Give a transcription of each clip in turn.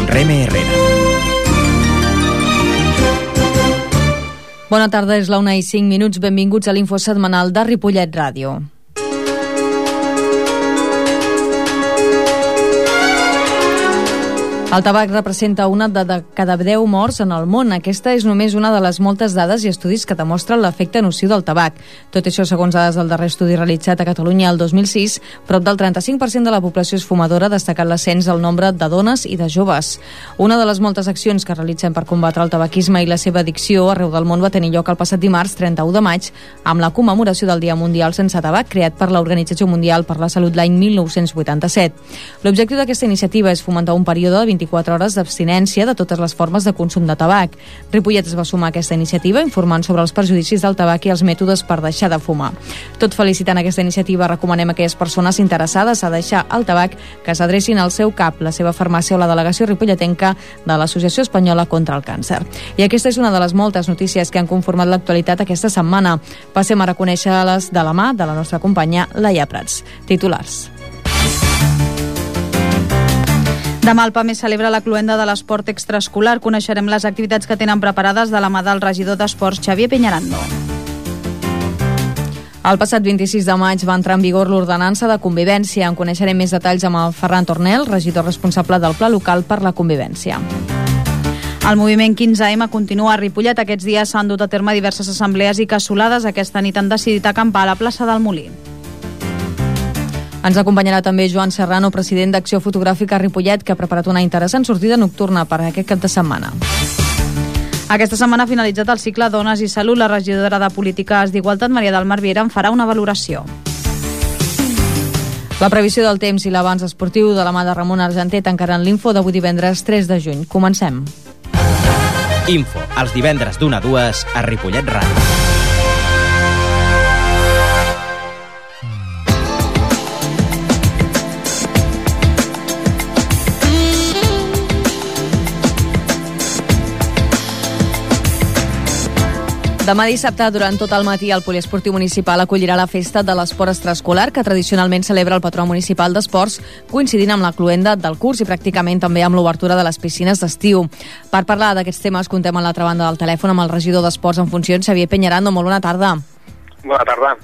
amb Reme Herrera. Bona tarda, és la 1:05. Benvinguts a l'Info Setmanal de Ripollet Ràdio. El tabac representa una de cada 10 morts en el món. Aquesta és només una de les moltes dades i estudis que demostren l'efecte nociu del tabac. Tot això segons dades del darrer estudi realitzat a Catalunya el 2006, prop del 35% de la població és fumadora, destacant l'ascens del nombre de dones i de joves. Una de les moltes accions que realitzem per combatre el tabaquisme i la seva addicció arreu del món va tenir lloc el passat dimarts 31 de maig amb la commemoració del Dia Mundial sense tabac creat per l'Organització Mundial per la Salut l'any 1987. L'objectiu d'aquesta iniciativa és fomentar un període de 24 hores d'abstinència de totes les formes de consum de tabac. Ripollet es va sumar a aquesta iniciativa informant sobre els perjudicis del tabac i els mètodes per deixar de fumar. Tot felicitant aquesta iniciativa, recomanem a aquelles persones interessades a deixar el tabac que s'adrecin al seu CAP, la seva farmàcia o la delegació ripolletenca de l'Associació Espanyola contra el Càncer. I aquesta és una de les moltes notícies que han conformat l'actualitat aquesta setmana. Passem a reconèixer-les de la mà de la nostra companya Laia Prats. Titulars. Demà el PAME celebra la cloenda de l'esport extraescolar. Coneixerem les activitats que tenen preparades de la mà del regidor d'Esports, Xavier Peñarando. El passat 26 de maig va entrar en vigor l'ordenança de convivència. En coneixerem més detalls amb el Ferran Tornel, regidor responsable del Pla Local per la Convivència. El moviment 15M continua a Ripollet. Aquests dies s'han dut a terme diverses assemblees i cassolades. Aquesta nit han decidit acampar a la plaça del Molí. Ens acompanyarà també Joan Serrano, president d'Acció Fotogràfica Ripollet, que ha preparat una interessant sortida nocturna per aquest cap de setmana. Aquesta setmana ha finalitzat el cicle Dones i Salut. La regidora de Polítiques d'Igualtat, Maria del Mar Viera, en farà una valoració. La previsió del temps i l'avanç esportiu de la mà de Ramon Argenter tancaran l'Info d'avui divendres 3 de juny. Comencem. Info, els divendres d'1 a 2 a Ripollet Ràdio. Demà dissabte, durant tot el matí, el Poliesportiu Municipal acollirà la festa de l'esport extraescolar, que tradicionalment celebra el patró municipal d'esports, coincidint amb la cloenda del curs i pràcticament també amb l'obertura de les piscines d'estiu. Per parlar d'aquests temes, contem a l'altra banda del telèfon amb el regidor d'Esports en funcions, Xavier Peñarando. Molt bona tarda. Bona tarda.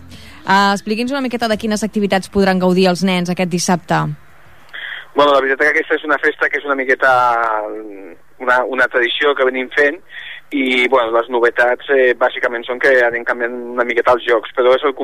Expliqui'ns una miqueta de quines activitats podran gaudir els nens aquest dissabte. Bueno, la veritat és que aquesta és una festa que és una miqueta una tradició que venim fent, i bueno, les novetats bàsicament són que anem canviant una miqueta els jocs, però és el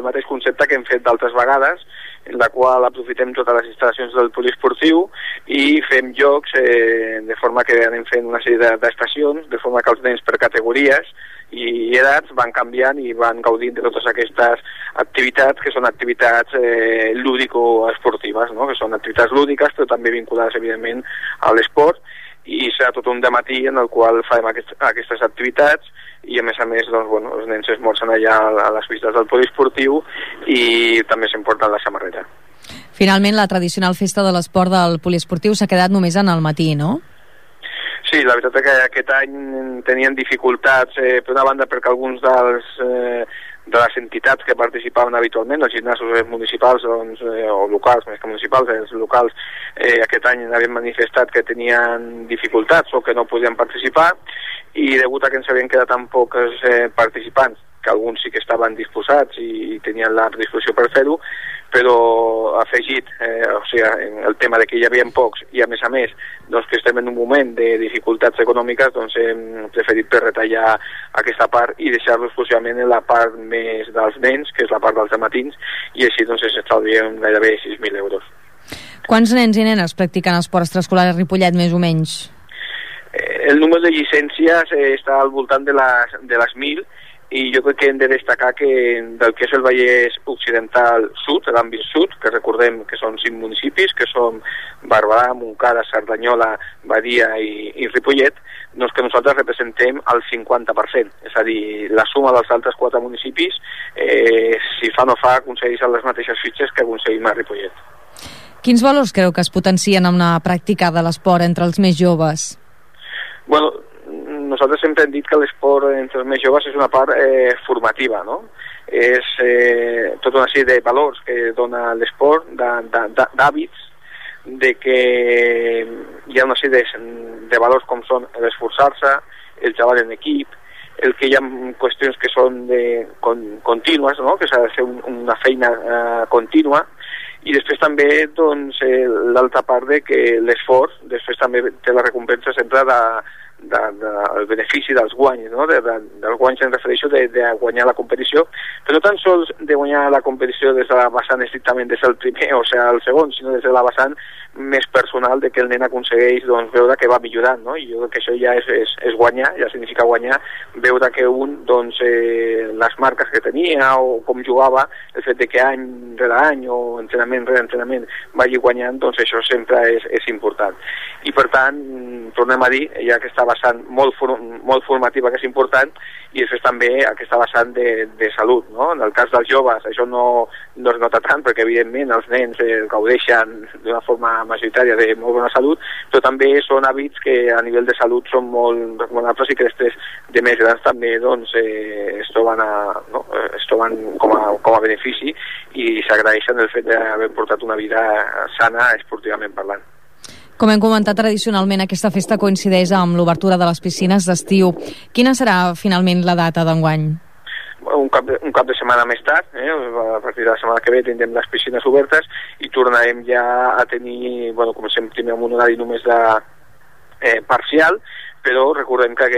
mateix concepte que hem fet d'altres vegades, en la qual aprofitem totes les instal·lacions del poliesportiu i fem jocs de forma que anem fent una sèrie d'estacions, de forma que els nens per categories i edats van canviant i van gaudint de totes aquestes activitats, que són activitats lúdico-esportives, no? Que són activitats lúdiques però també vinculades evidentment a l'esport, i serà tot un dematí en el qual farem aquestes activitats i a més, doncs, bueno, els nens esmorzen allà a les vistes del poliesportiu i també s'emporten la samarreta. Finalment, la tradicional festa de l'esport del poliesportiu s'ha quedat només en el matí, no? Sí, la veritat és que aquest any tenien dificultats, per una banda perquè alguns de les entitats que participaven habitualment, els gimnasos municipals o locals, més que municipals, els locals, aquest any havien manifestat que tenien dificultats o que no podien participar, i degut a que ens havien quedat tan pocs participants, que alguns sí que estaven disposats i tenien la disposició per fer-ho, però afegit el tema de que hi havia pocs i a més doncs que estem en un moment de dificultats econòmiques, doncs hem preferit retallar aquesta part i deixar-lo exclusivament en la part més dels nens, que és la part dels matins, i així doncs estalviem gairebé 6.000 euros. Quants nens i nenes practiquen esport extraescolar a Ripollet, més o menys? El número de llicències està al voltant de les 1.000, i jo crec que hem de destacar que del que és el Vallès Occidental Sud, l'àmbit sud, que recordem que són 5 municipis, que són Barberà, Montcada, Cerdanyola, Badia i Ripollet, doncs que nosaltres representem el 50%, és a dir, la suma dels altres 4 municipis, si fa no fa, aconsegueixen les mateixes fitxes que aconseguim a Ripollet. Quins valors creu que es potencien amb la pràctica de l'esport entre els més joves? Bueno, nosaltres sempre hem dit que l'esport entre els més joves és una part formativa, no? És tota una sèrie de valors que dona l'esport, d'hàbits, de que hi ha una sèrie de valors com són l'esforçar-se, el treball en equip, el que hi ha qüestions que són contínues, no? Que s'ha de fer una feina contínua, i després també doncs, l'altra part de que l'esforç després també té la recompensa sempre del benefici dels guanys, no? Dels guanys em refereixo de guanyar la competició, però no tan sols de guanyar la competició des de la vessant estrictament des del primer o sigui el segon, sinó des de la vessant més personal de que el nen aconsegueix doncs, veure que va millorant, no? I jo crec que això ja és guanyar, ja significa guanyar, veure que un doncs, les marques que tenia o com jugava, el fet de que any rere any o entrenament rere entrenament vagi guanyant, doncs això sempre és important. I per tant, tornem a dir, hi ha aquesta vessant molt formativa que és important, i després també aquesta vessant de salut, no? En el cas dels joves això no es nota tant perquè evidentment els nens gaudeixen d'una forma majoritària de molt bona salut, però també són hàbits que a nivell de salut són molt recomanables i que després de més grans també doncs, es troben com a benefici i s'agraeixen el fet d'haver portat una vida sana esportivament parlant. Com hem comentat, tradicionalment aquesta festa coincideix amb l'obertura de les piscines d'estiu. Quina serà finalment la data d'enguany? Un cap de setmana més tard, a partir de la setmana que ve tindrem les piscines obertes i tornarem ja a tenir, comencem primer amb un horari només parcial, però recordem que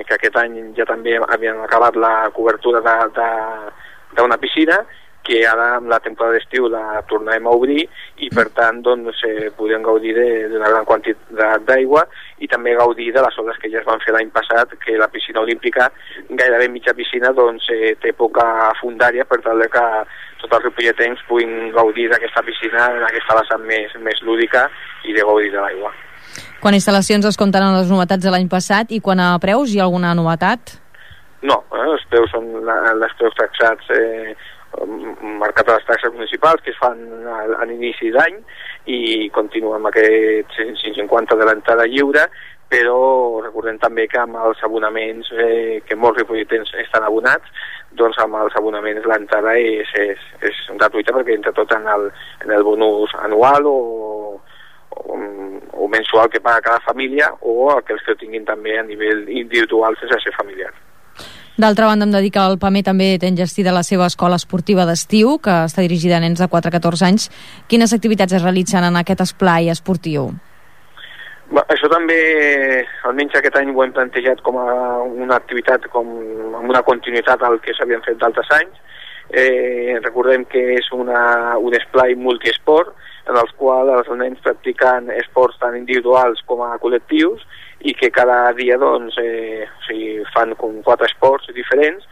aquest any ja també havien acabat la cobertura d'una piscina, que ara amb la temporada d'estiu la tornarem a obrir i per tant doncs, podem gaudir d'una gran quantitat d'aigua i també gaudir de les obres que ja es van fer l'any passat, que la piscina olímpica, gairebé mitja piscina, doncs, té poca fundària per tal que tots els ripolletens puguin gaudir d'aquesta piscina en aquesta vessant més lúdica i de gaudir de l'aigua. Quan a instal·lacions es comptaran les novetats de l'any passat i quan a preus hi ha alguna novetat? No, els preus són els preus taxats marcat a les taxes municipals que es fan a l'inici d'any i continuen amb aquest 150 de l'entrada lliure, però recordem també que amb els abonaments que molts ripolletens estan abonats, doncs amb els abonaments l'entrada és gratuïta perquè entra tot en el bonus anual o mensual que paga cada família o aquells que ho tinguin també a nivell individual sense ser familiar. D'altra banda, em dedica al PAME també té enllestida la seva escola esportiva d'estiu, que està dirigida a nens de 4 a 14 anys. Quines activitats es realitzen en aquest esplai esportiu? Això també, almenys aquest any ho hem plantejat com a una activitat amb una continuïtat al que s'havien fet d'altres anys. Recordem que és un esplai multiesport en el qual els nens practiquen esports tant individuals com a col·lectius i que cada dia doncs, fan com 4 esports diferents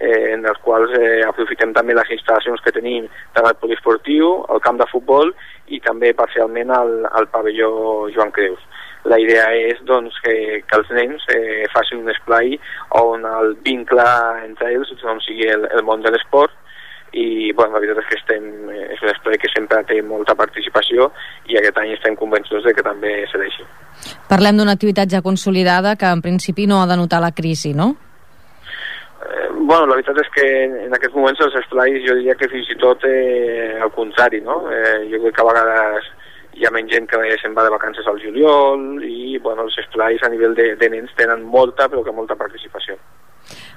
en els quals aprofitem també les instal·lacions que tenim tant al poliesportiu, al camp de futbol i també parcialment al pavelló Joan Creus. La idea és doncs, que els nens facin un esplai on el vincle entre ells doncs, sigui el món de l'esport i la veritat és que és un esplai que sempre té molta participació i aquest any estem convençuts de que també serà així. Parlem d'una activitat ja consolidada que en principi no ha de notar la crisi, no? La veritat és que en aquests moments els esplais jo diria que fins i tot al contrari, no? Jo crec que a vegades hi ha menys gent que se'n va de vacances al juliol i els esplais a nivell de nens tenen molta participació.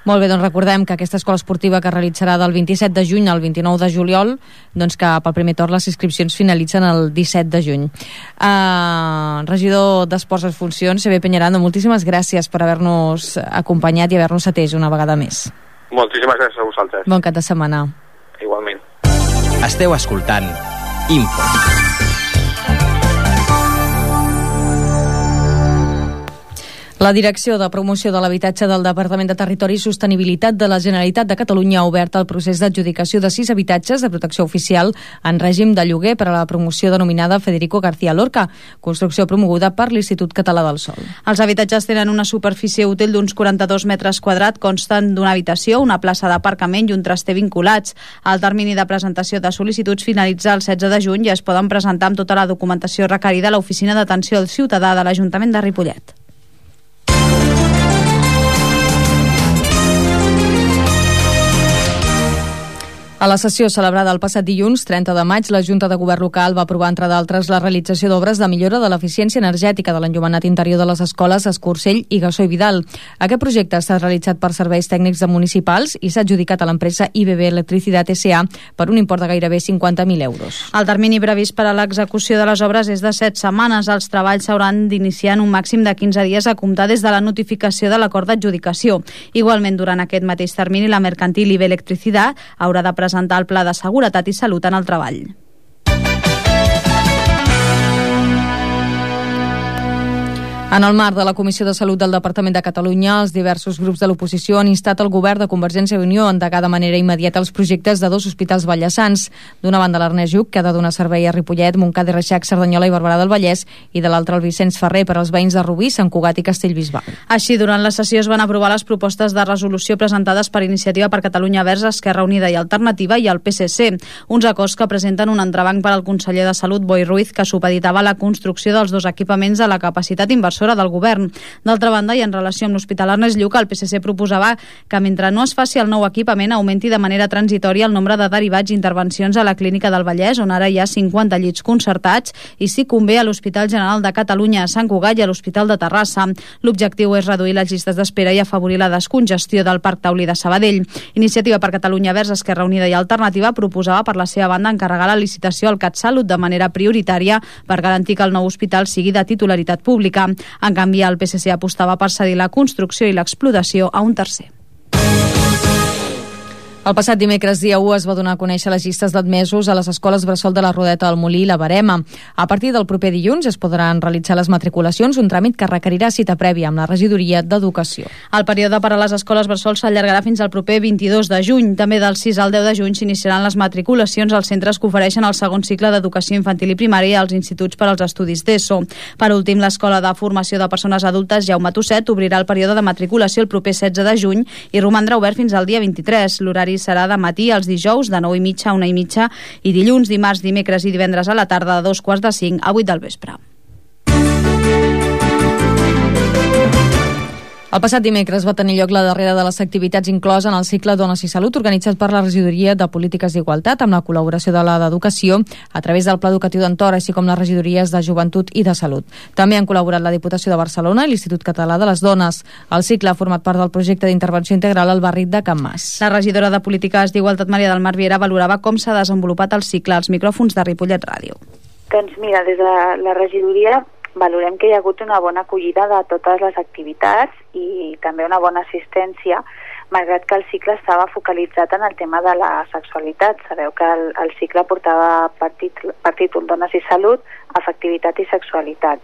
Molt bé, doncs recordem que aquesta escola esportiva que es realitzarà del 27 de juny al 29 de juliol, doncs que pel primer torn les inscripcions finalitzen el 17 de juny. Regidor d'Esports en Funcions, Xavier Peñarando, moltíssimes gràcies per haver-nos acompanyat i haver-nos atès una vegada més. Moltíssimes gràcies a vosaltres. Bon cap de setmana. Igualment. Esteu escoltant Info. La Direcció de Promoció de l'Habitatge del Departament de Territori i Sostenibilitat de la Generalitat de Catalunya ha obert el procés d'adjudicació de 6 habitatges de protecció oficial en règim de lloguer per a la promoció denominada Federico García Lorca, construcció promoguda per l'Institut Català del Sòl. Els habitatges tenen una superfície útil d'uns 42 metres quadrats, consten d'una habitació, una plaça d'aparcament i un traster vinculats. El termini de presentació de sol·licituds finalitza el 16 de juny i es poden presentar amb tota la documentació requerida a l'Oficina d'Atenció al Ciutadà de l'Ajuntament de Ripollet. A la sessió celebrada el passat dilluns, 30 de maig, la Junta de Govern local va aprovar, entre d'altres, la realització d'obres de millora de l'eficiència energètica de l'enllumenat interior de les escoles Escursell i Gassó i Vidal. Aquest projecte està realitzat per serveis tècnics municipals i s'ha adjudicat a l'empresa IBB Electricidad S.A. per un import de gairebé 50.000 euros. El termini previst per a l'execució de les obres és de 7 setmanes. Els treballs s'hauran d'iniciar en un màxim de 15 dies a comptar des de la notificació de l'acord d'adjudicació. Igualment, durant aquest mateix termini, la mercantil IBB Electricidad haurà de presentar el Pla de Seguretat i Salut en el Treball. En el marc de la Comissió de Salut del Departament de Catalunya, els diversos grups de l'oposició han instat el govern de Convergència i Unió a endegar de manera immediata els projectes de 2 hospitals vallesans. D'una banda, l'Ernest Lluch, que ha de donar servei a Ripollet, Montcada i Reixac, Cerdanyola i Barberà del Vallès, i de l'altra, el Vicenç Ferrer, per als veïns de Rubí, Sant Cugat i Castellbisbal. Així, durant la sessió es van aprovar les propostes de resolució presentades per Iniciativa per Catalunya Verds, Esquerra Unida i Alternativa i el PSC, uns acords que presenten un entrebanc per al conseller de Salut, Boi Ruiz, que supeditava la construcció dels 2 equipaments a la capacitat inversora del govern. D'altra banda, i en relació amb l'Hospital Ernest Lluch, el PSC proposava que mentre no es faci el nou equipament augmenti de manera transitòria el nombre de derivats i intervencions a la Clínica del Vallès, on ara hi ha 50 llits concertats, i si convé a l'Hospital General de Catalunya a Sant Cugat i a l'Hospital de Terrassa. L'objectiu és reduir les llistes d'espera i afavorir la descongestió del Parc Taulí de Sabadell. Iniciativa per Catalunya Verds, Esquerra Unida i Alternativa proposava per la seva banda encarregar la licitació al CatSalut de manera prioritària per garantir que el nou hospital sigui de titularitat pública. En canvi, el PSC apostava per cedir la construcció i l'explotació a un tercer. El passat dimecres, dia 1, es va donar a conèixer les llistes d'admesos a les escoles bressol de la Rodeta del Molí i la Verema. A partir del proper dilluns es podran realitzar les matriculacions, un tràmit que requerirà cita prèvia amb la Regidoria d'Educació. El període per a les escoles bressol s'allargarà fins al proper 22 de juny. També del 6 al 10 de juny s'iniciaran les matriculacions als centres que ofereixen el segon cicle d'educació infantil i primària i als instituts per als estudis d'ESO. Per últim, l'Escola de Formació de Persones Adultes Jaume Tusset obrirà el període de matriculació el proper 16 de juny i romandrà obert fins al dia 23. L'horari serà de matí els dijous de 9:30 a 1:30 i dilluns, dimarts, dimecres i divendres a la tarda de 2:45 a 8 del vespre. El passat dimecres va tenir lloc la darrera de les activitats inclosa en el cicle Dones i Salut organitzat per la Regidoria de Polítiques d'Igualtat amb la col·laboració de la d'Educació a través del Pla Educatiu d'Entorn, així com les regidories de Joventut i de Salut. També han col·laborat la Diputació de Barcelona i l'Institut Català de les Dones. El cicle ha format part del projecte d'intervenció integral al barri de Can Mas. La regidora de Polítiques d'Igualtat, Maria del Mar Viera, valorava com s'ha desenvolupat el cicle als micròfons de Ripollet Ràdio. Doncs mira, des de la regidoria valorem que hi ha hagut una bona acollida de totes les activitats i també una bona assistència, malgrat que el cicle estava focalitzat en el tema de la sexualitat. Sabeu que el cicle portava per títol Dones i Salut, Afectivitat i Sexualitat.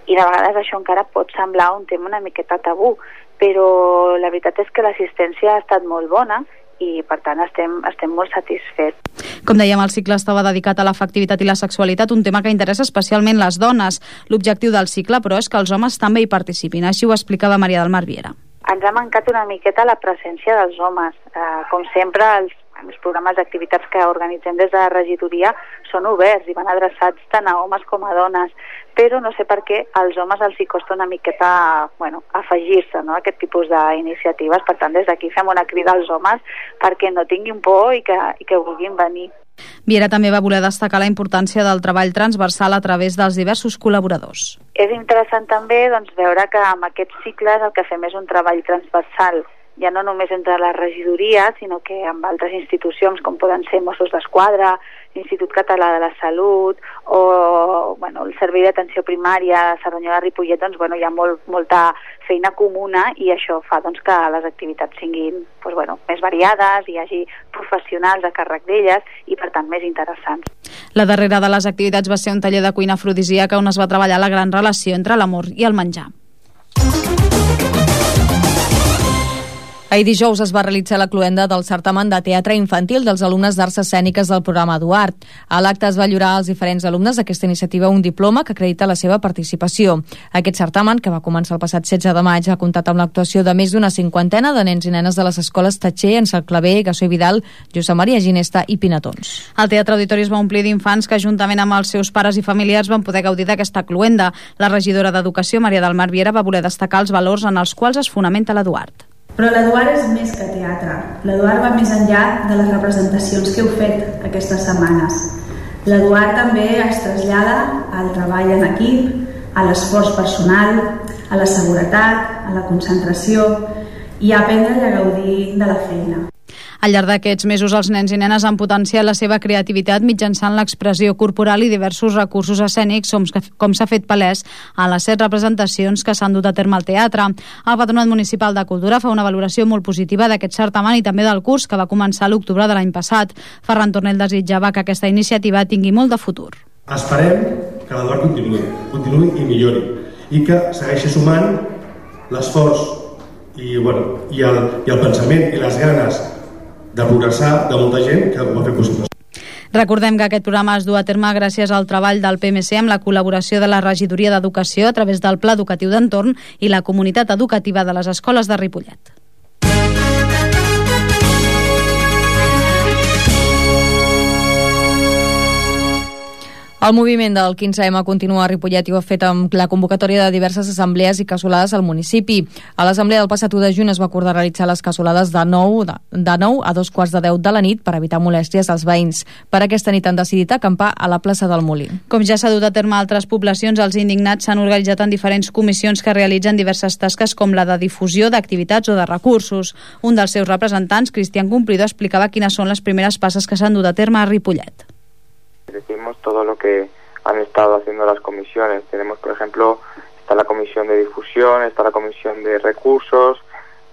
I de vegades això encara pot semblar un tema una miqueta tabú, però la veritat és que l'assistència ha estat molt bona i per tant estem molt satisfets. Com dèiem, el cicle estava dedicat a l'afectivitat i la sexualitat, un tema que interessa especialment les dones. L'objectiu del cicle, però, és que els homes també hi participin. Així ho explicava Maria del Mar Viera. Ens ha mancat una miqueta la presència dels homes. Com sempre, els programes d'activitats que organitzem des de la regidoria són oberts i van adreçats tant a homes com a dones, però no sé per què als homes els hi costa una miqueta afegir-se a aquest tipus d'iniciatives. Per tant, des d'aquí fem una crida als homes perquè no tinguin por i que vulguin venir. Viera també va voler destacar la importància del treball transversal a través dels diversos col·laboradors. És interessant també veure que amb aquests cicles el que fem és un treball transversal, ja no només entre la regidoria, sinó que amb altres institucions com poden ser Mossos d'Esquadra, l'Institut Català de la Salut o el Servei d'Atenció Primària Cerdanyola de Ripollet, hi ha molta feina comuna i això fa que les activitats siguin més variades, hi hagi professionals a càrrec d'elles i per tant més interessants. La darrera de les activitats va ser un taller de cuina afrodisíaca on es va treballar la gran relació entre l'amor i el menjar. Ahir dijous es va realitzar la cloenda del certamen de teatre infantil dels alumnes d'arts escèniques del programa Eduard. A l'acte es va lliurar als diferents alumnes d'aquesta iniciativa un diploma que acredita la seva participació. Aquest certamen, que va començar el passat 16 de maig, ha comptat amb l'actuació de més d'una 50 de nens i nenes de les escoles Tatxer, Ensalclaver, Gassó i Vidal, Josep Maria Ginesta i Pinatons. El Teatre Auditori es va omplir d'infants que, juntament amb els seus pares i familiars, van poder gaudir d'aquesta cloenda. La regidora d'Educació, Maria del Mar Viera, va voler destacar els valors en els quals es fonamenta l'Eduard. Però l'Eduard és més que teatre. L'Eduard va més enllà de les representacions que heu fet aquestes setmanes. L'Eduard també es trasllada al treball en equip, a l'esforç personal, a la seguretat, a la concentració i a aprendre i a gaudir de la feina. Al llarg d'aquests mesos, els nens i nenes han potenciat la seva creativitat mitjançant l'expressió corporal i diversos recursos escènics, com s'ha fet palès a les 7 representacions que s'han dut a terme al teatre. El Patronat Municipal de Cultura fa una valoració molt positiva d'aquest certamen i també del curs, que va començar a l'octubre de l'any passat. Ferran Tornel desitjava que aquesta iniciativa tingui molt de futur. Esperem que l'Eduard continuï i millori, i que segueixi sumant l'esforç i el pensament i les ganes de progressar de molta gent que ho va fer possible. Recordem que aquest programa es du a terme gràcies al treball del PMC amb la col·laboració de la Regidoria d'Educació a través del Pla Educatiu d'Entorn i la Comunitat Educativa de les Escoles de Ripollet. El moviment del 15M continua a Ripollet i ho ha fet amb la convocatòria de diverses assemblees i cassolades al municipi. A l'assemblea del passat 1 de juny es va acordar realitzar les cassolades de 9 a 2:15 de la nit per evitar molèsties als veïns. Per aquesta nit han decidit acampar a la plaça del Molí. Com ja s'ha dut a terme a altres poblacions, els indignats s'han organitzat en diferents comissions que realitzen diverses tasques com la de difusió d'activitats o de recursos. Un dels seus representants, Cristian Cumplido, explicava quines són les primeres passes que s'han dut a terme a Ripollet. Decimos todo lo que han estado haciendo las comisiones. Tenemos, por ejemplo, está la comisión de difusión, está la comisión de recursos,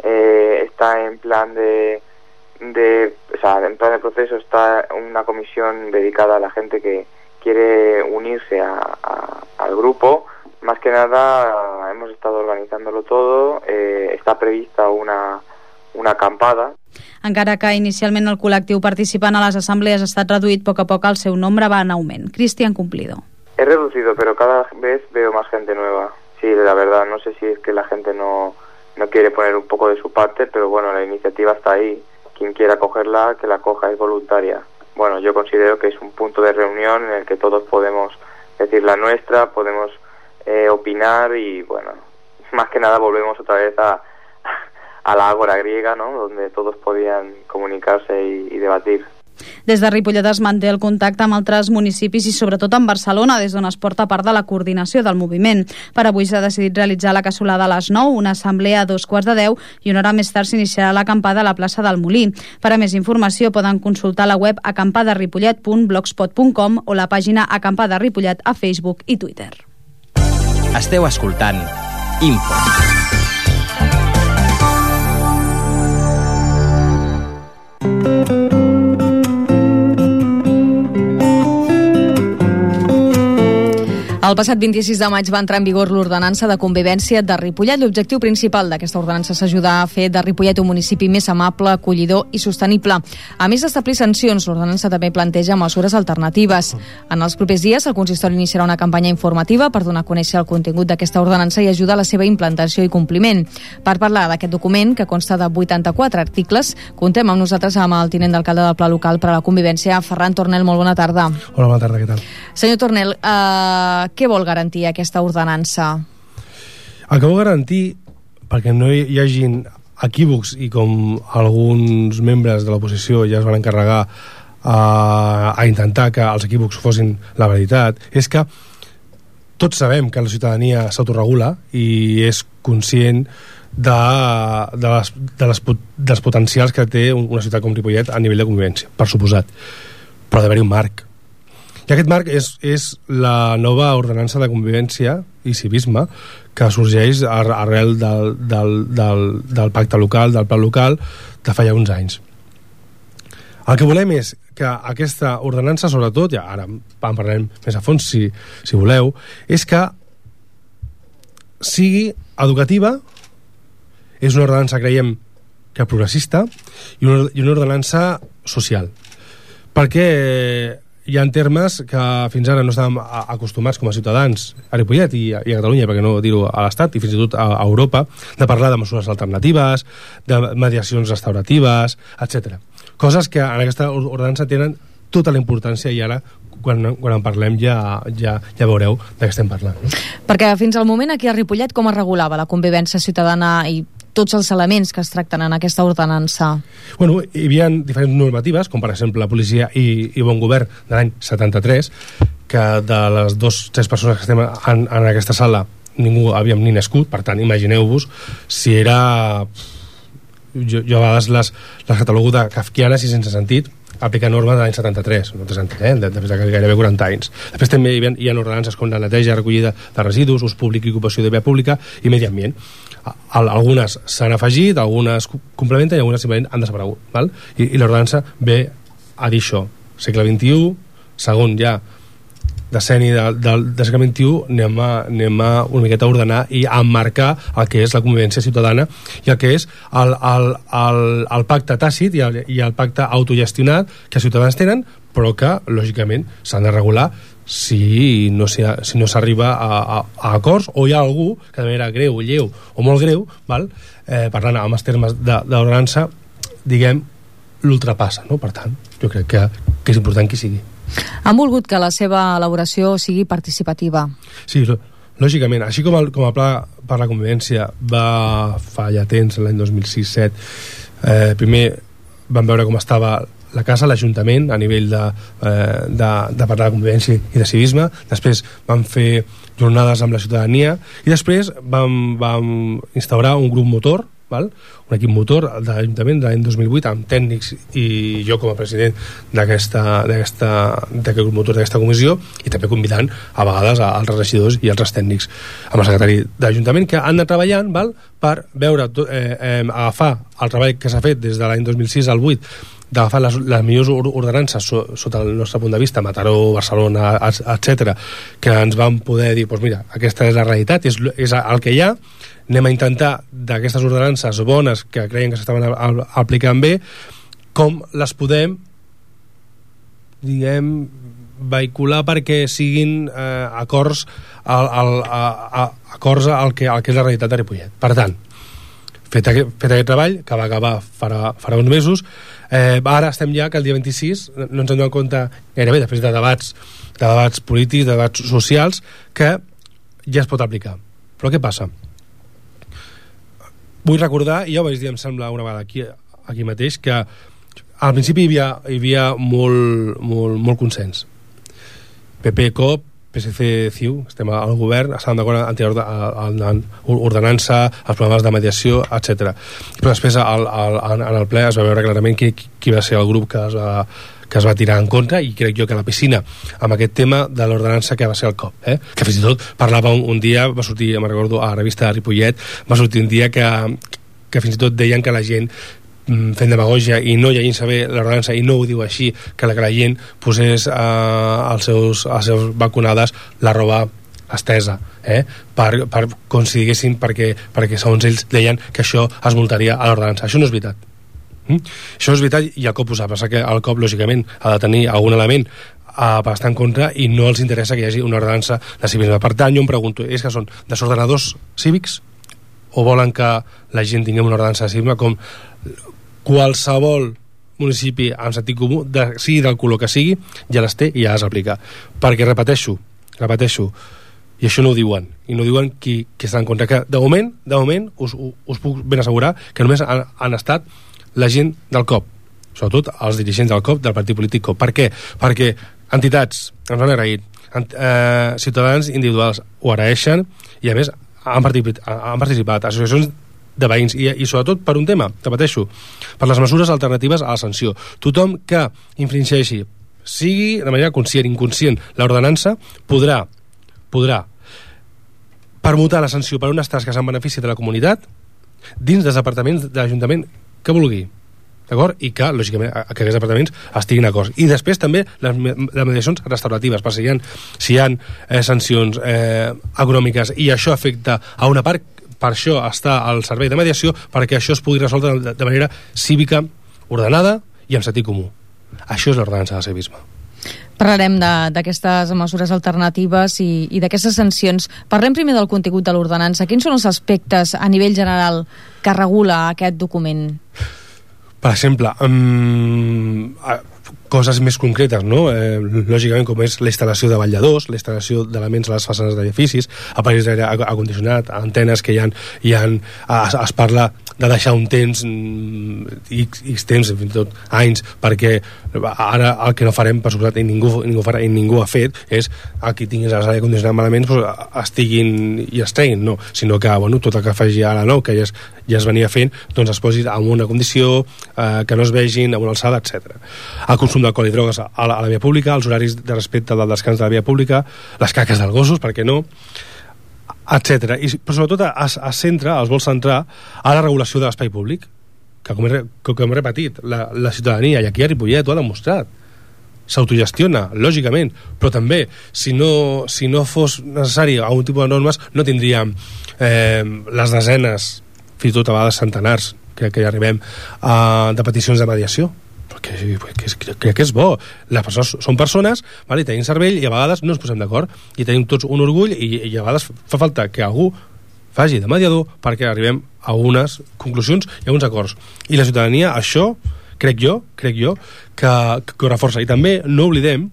está en plan en plan de proceso está una comisión dedicada a la gente que quiere unirse al grupo. Más que nada hemos estado organizándolo todo, está prevista una acampada. Encara que inicialment el col·lectiu participant a les assemblees ha estat reduït, a poc a poc el seu nombre va en augment. Cristian Cumplido. He reducido, pero cada vez veo más gente nueva. Sí, la verdad, no sé si es que la gente no quiere poner un poco de su parte, pero bueno, la iniciativa está ahí. Quien quiera cogerla, que la coja, es voluntaria. Bueno, yo considero que es un punto de reunión en el que todos podemos decir la nuestra, podemos opinar y bueno, más que nada volvemos otra vez a la ágora griega, ¿no?, donde todos podían comunicarse y debatir. Des de Ripollet es manté el contacte amb altres municipis i sobretot amb Barcelona, des d'on es porta part de la coordinació del moviment. Per avui s'ha decidit realitzar la cassolada a les 9, una assemblea a 2:15 i una hora més tard s'iniciarà l'acampada a la plaça del Molí. Per a més informació poden consultar la web acampadaripollet.blogspot.com o la pàgina Acampada Ripollet a Facebook i Twitter. Esteu escoltant Info. El passat 26 de maig va entrar en vigor l'ordenança de convivència de Ripollet. L'objectiu principal d'aquesta ordenança és ajudar a fer de Ripollet un municipi més amable, acollidor i sostenible. A més d'establir sancions, l'ordenança també planteja mesures alternatives. En els propers dies, el consistori iniciarà una campanya informativa per donar a conèixer el contingut d'aquesta ordenança i ajudar a la seva implantació i compliment. Per parlar d'aquest document, que consta de 84 articles, contem amb nosaltres amb el tinent d'alcalde del Pla Local per a la Convivència, Ferran Tornel. Molt bona tarda. Hola, bona tarda, què tal? Senyor Tornel, què vol garantir aquesta ordenança? El que vol garantir, perquè no hi hagin equívocs i com alguns membres de l'oposició ja es van encarregar a intentar que els equívocs fossin la veritat, és que tots sabem que la ciutadania s'autoregula i és conscient dels potencials que té una ciutat com Ripollet a nivell de convivència, per suposat, però ha d'haver-hi un marc. I aquest marc és la nova ordenança de convivència i civisme que sorgeix arrel del pacte local, del pla local de fa ja uns anys. El que volem és que aquesta ordenança, sobretot, ja ara en parlarem més a fons si voleu, és que sigui educativa, és una ordenança, creiem, que progressista i una ordenança social. Perquè hi ha termes que fins ara no estàvem acostumats com a ciutadans a Ripollet i a Catalunya, perquè no dir-ho a l'Estat i fins i tot a Europa, de parlar de mesures alternatives, de mediacions restauratives, etc. Coses que en aquesta ordenança tenen tota la importància i ara quan en parlem ja veureu de què estem parlant. Perquè fins al moment aquí a Ripollet com es regulava la convivència ciutadana i tots els elements que es tracten en aquesta ordenança? Bueno, hi havia diferents normatives, com per exemple la policia i bon govern de l'any 73, que de les 2-3 persones que estem en aquesta sala ningú havíem ni nascut, per tant imagineu-vos si era... Jo a vegades les catalogo de kafkianes i sense sentit, aplicar normes de l'any 73, no té sentit, després de gairebé 40 anys. Després també hi ha ordenances com la neteja, recollida de residus, ús públic i ocupació de via pública i medi ambient. Algunes s'han afegit, algunes complementen i algunes simplement han desaparegut, val? I l'ordenança ve a dir això. Segle XXI, segon ja decenni del segle XXI, anem a una miqueta a ordenar i a emmarcar el que és la convivència ciutadana i el que és el pacte tàcit i el pacte autogestionat que els ciutadans tenen, però que lògicament s'han de regular si no s'arriba a acords, o hi ha algú que de manera greu, lleu o molt greu, val? Parlant amb els termes d'ordenança, diguem, l'ultrapassa, no? Per tant, jo crec que és important que hi sigui. Han volgut que la seva elaboració sigui participativa. Sí, lògicament. Així com el Pla per la Convivència va fa ja temps, l'any 2006-2007, primer vam veure com estava la casa, l'Ajuntament, a nivell de parlar de convivència i de civisme. Després vam fer jornades amb la ciutadania i després vam instaurar un grup motor, val? Un equip motor de l'Ajuntament de l'any 2008 amb tècnics i jo com a president d'aquest grup motor d'aquesta comissió, i també convidant a vegades a altres regidors i altres tècnics amb el secretari de l'Ajuntament, que han de treballant, val? Per veure agafar el treball que s'ha fet des de l'any 2006 al 2008, d'agafar les millors ordenances sota el nostre punt de vista, Mataró, Barcelona, etc., que ens van poder dir, doncs mira, aquesta és la realitat, és el que hi ha, anem a intentar d'aquestes ordenances bones que creien que s'estaven aplicant bé, com les podem, diguem, vehicular perquè siguin acords al que és la realitat de Ripollet. Per tant, fet aquest treball, que va acabar farà uns mesos, ara estem ja que el dia 26 no ens hem donat compte gairebé, després de debats polítics, de debats socials, que ja es pot aplicar. Però què passa? Vull recordar, i ja ho vaig dir, em sembla, una vegada aquí mateix, que al principi hi havia molt consens. PP, COP, PSC, CiU, estem al govern, estàvem d'acord en ordenança, els programes de mediació, etc. Però després en el ple es va veure clarament qui va ser el grup que es va tirar en contra, i crec jo que la piscina amb aquest tema de l'ordenança que va ser el COP, que fins i tot parlava un dia, va sortir, me'n recordo, a la revista de Ripollet, va sortir un dia que fins i tot deien que la gent fent demagogia i no llegint saber l'ordenança, i no ho diu així, que la gent posés als seus balconades la roba estesa, per com si diguessin, perquè segons ells deien que això es multaria a l'ordenança. Això no és veritat. Això és veritat, i el COP ho sap. Passa que el COP lògicament ha de tenir algun element per estar en contra, i no els interessa que hi hagi una ordenança de civisme. Per tant, jo em pregunto, és que són desordenadors cívics o volen que la gent tinguem una ordenança de civisme com qualsevol municipi amb sentit comú, sigui del color que sigui, ja les té i ja les aplica? Perquè repeteixo, i això no ho diuen, i no ho diuen qui està en contra, que de moment us puc ben assegurar que només han estat la gent del COP, sobretot els dirigents del COP, del partit polític COP. Per què? Perquè entitats ens han agraït, ciutadans individuals ho agraeixen, i a més han participat associacions de veïns, i sobretot per un tema, repeteixo, per les mesures alternatives a la sanció. Tothom que infringeixi, sigui de manera conscient, inconscient, l'ordenança, podrà permutar la sanció per unes tasques en benefici de la comunitat dins dels departaments de l'Ajuntament que vulgui, d'acord? I que, lògicament, aquests departaments estiguin d'acord. I després també les mediacions restauratives, per si hi ha sancions econòmiques i això afecta a una part, per això està al servei de mediació, perquè això es pugui resoldre de manera cívica, ordenada i amb sentit comú. Això és l'ordenança de civisme. Parlarem d'aquestes mesures alternatives i d'aquestes sancions. Parlem primer del contingut de l'ordenança. Quins són els aspectes a nivell general que regula aquest document? Per exemple, coses més concretes, no? Lògicament, com és la instal·lació de balladors, la instal·lació d'elements a les façanes d'edificis, aparells d'aire acondicionat, antenes que es parla de deixar un temps, X temps, fins i tot anys, perquè ara el que no farem, per suposat, i ningú farà, i ningú ha fet, és que tinguis l'aire acondicionat malament, estiguin i es treguin, no, sinó que tot el que faci ara nou, que ja es venia fent, doncs es posi en una condició, que no es vegin, a una alçada, etc. El consum d'alcohol i drogues a la via pública, els horaris de respecte del descans de la via pública, les caques dels gossos, per què no, etc. Però sobretot es vol centrar a la regulació de l'espai públic, que com hem repetit, la ciutadania, i aquí a Ripollet ho ha demostrat, s'autogestiona, lògicament, però també, si no fos necessari algun tipus de normes, no tindríem les desenes, fins i tot a vegades centenars, que hi arribem, de peticions de mediació. Crec que és bo. Les persones són persones, i tenim cervell, i a vegades no ens posem d'acord, i tenim tots un orgull, i a vegades fa falta que algú faci de mediador perquè arribem a unes conclusions i a uns acords. I la ciutadania, això, crec jo, que ho reforça. I també no oblidem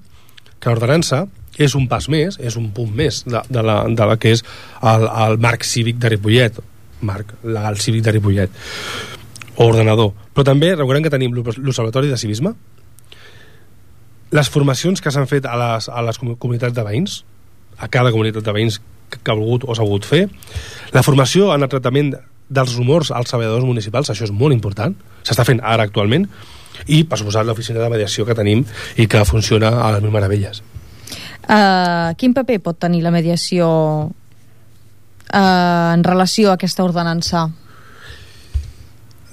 que l'ordenança és un pas més, és un punt més de la que és el marc cívic de Ripollet, marc legal cívic de Ripollet, o ordenador. Però també recordem que tenim l'Observatori de Civisme, les formacions que s'han fet a les comunitats de veïns, a cada comunitat de veïns que ha volgut o s'ha volgut fer, la formació en el tractament dels rumors als treballadors municipals, això és molt important, s'està fent ara actualment, i per suposat l'oficina de mediació que tenim i que funciona a les mil meravelles. Quin paper pot tenir la mediació en relació a aquesta ordenança?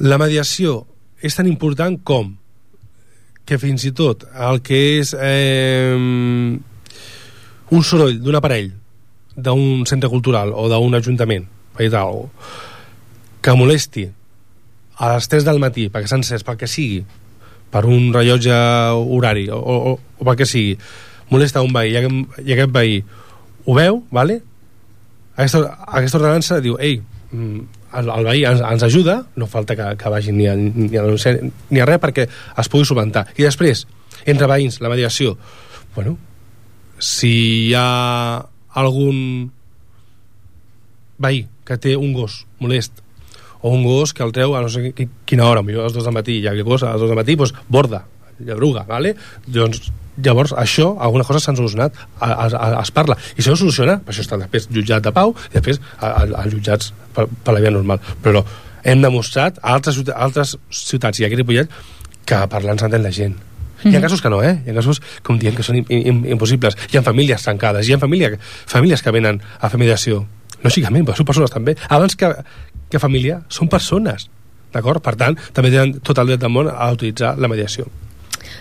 La mediació és tan important com que fins i tot el que és un soroll d'un aparell d'un centre cultural o d'un ajuntament que molesti a les 3 del matí perquè s'ha encès, pel que sigui, per un rellotge horari o pel que sigui, molesta un veí i aquest veí ho veu, vale? Aquesta ordenança diu, ei, el veí ens ajuda, no falta que vagi ni a res perquè es pugui solucionar. I després, entre veïns, la mediació, si hi ha algun veí que té un gos molest o un gos que el treu a no sé quina hora, millor a les 2 del matí, i aquell gos a les 2 del matí borda, lladruga, vale? Doncs llavors això, algunes coses s'han solucionat, es parla, i si no soluciona, per això està després jutjat de pau i després als jutjats per la via normal, però hem demostrat a altres ciutats i aquí a Ripollet que parlant s'entén la gent. Hi ha casos que no, hi ha casos com diem que són impossibles, hi ha famílies tancades, hi ha famílies que venen a fer mediació, lògicament, però són persones també, abans que família són persones, d'acord? Per tant, també tenen tot el dret del món a utilitzar la mediació.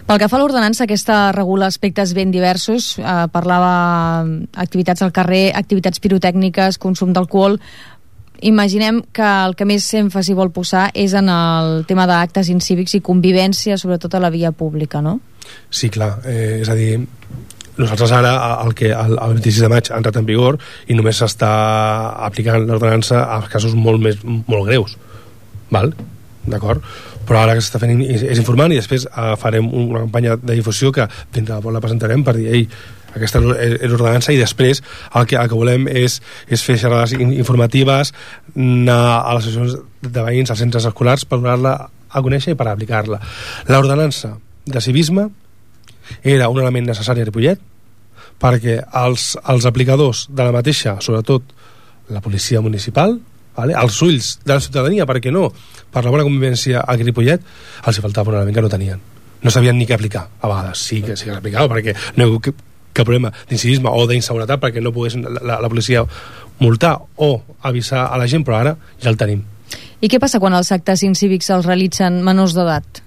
Pel que fa a l'ordenança, aquesta regula aspectes ben diversos, parlava activitats al carrer, activitats pirotècniques, consum d'alcohol. Imaginem que el que més èmfasi vol posar és en el tema d'actes incívics i convivència, sobretot a la via pública, no? Sí, clar, és a dir, nosaltres ara el 26 de maig ha entrat en vigor i només s'està aplicant l'ordenança a casos molt greus, val? D'acord? Però ara que s'està fent és informant i després farem una campanya de difusió que dintre de poc la presentarem per dir, ei, aquesta és l'ordenança, i després el que volem és fer xerrades informatives, anar a les associacions de veïns, als centres escolars, per donar-la a conèixer i per aplicar-la. L'ordenança de civisme era un element necessari a Ripollet perquè els aplicadors de la mateixa, sobretot la policia municipal, els ulls de la ciutadania, perquè no, per la bona convivència a Ripollet, els hi faltava un element que no tenien, no sabien ni què aplicar. A vegades sí que s'aplicava perquè no hi ha cap problema d'incivisme o d'inseguretat perquè no pogués la policia multar o avisar a la gent, però ara ja el tenim. I què passa quan els actes incívics els realitzen menors d'edat?